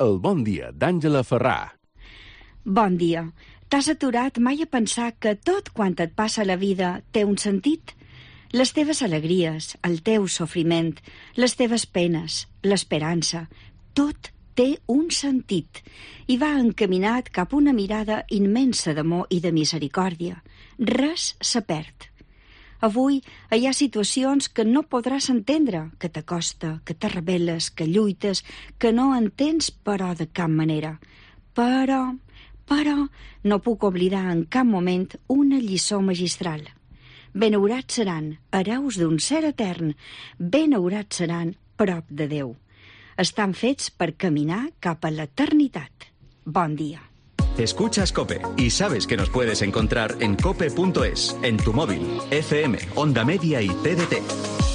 El bon dia d'Àngela Ferrà. Bon dia. T'has aturat mai a pensar que tot quant et passa a la vida té un sentit? Les teves alegries, el teu sofriment, les teves penes, l'esperança, tot té un sentit i va encaminat cap a una mirada immensa d'amor i de misericòrdia. Res se perd. Avui hi ha situacions que no podràs entendre, que t'acosta, que te rebel·les, que lluites, que no entens però de cap manera. Però no puc oblidar en cap moment una lliçó magistral. Benaurats seran hereus d'un ser etern, benaurats seran prop de Déu. Estan fets per caminar cap a l'eternitat. Bon dia. Escuchas COPE y sabes que nos puedes encontrar en cope.es, en tu móvil, FM, Onda Media y TDT.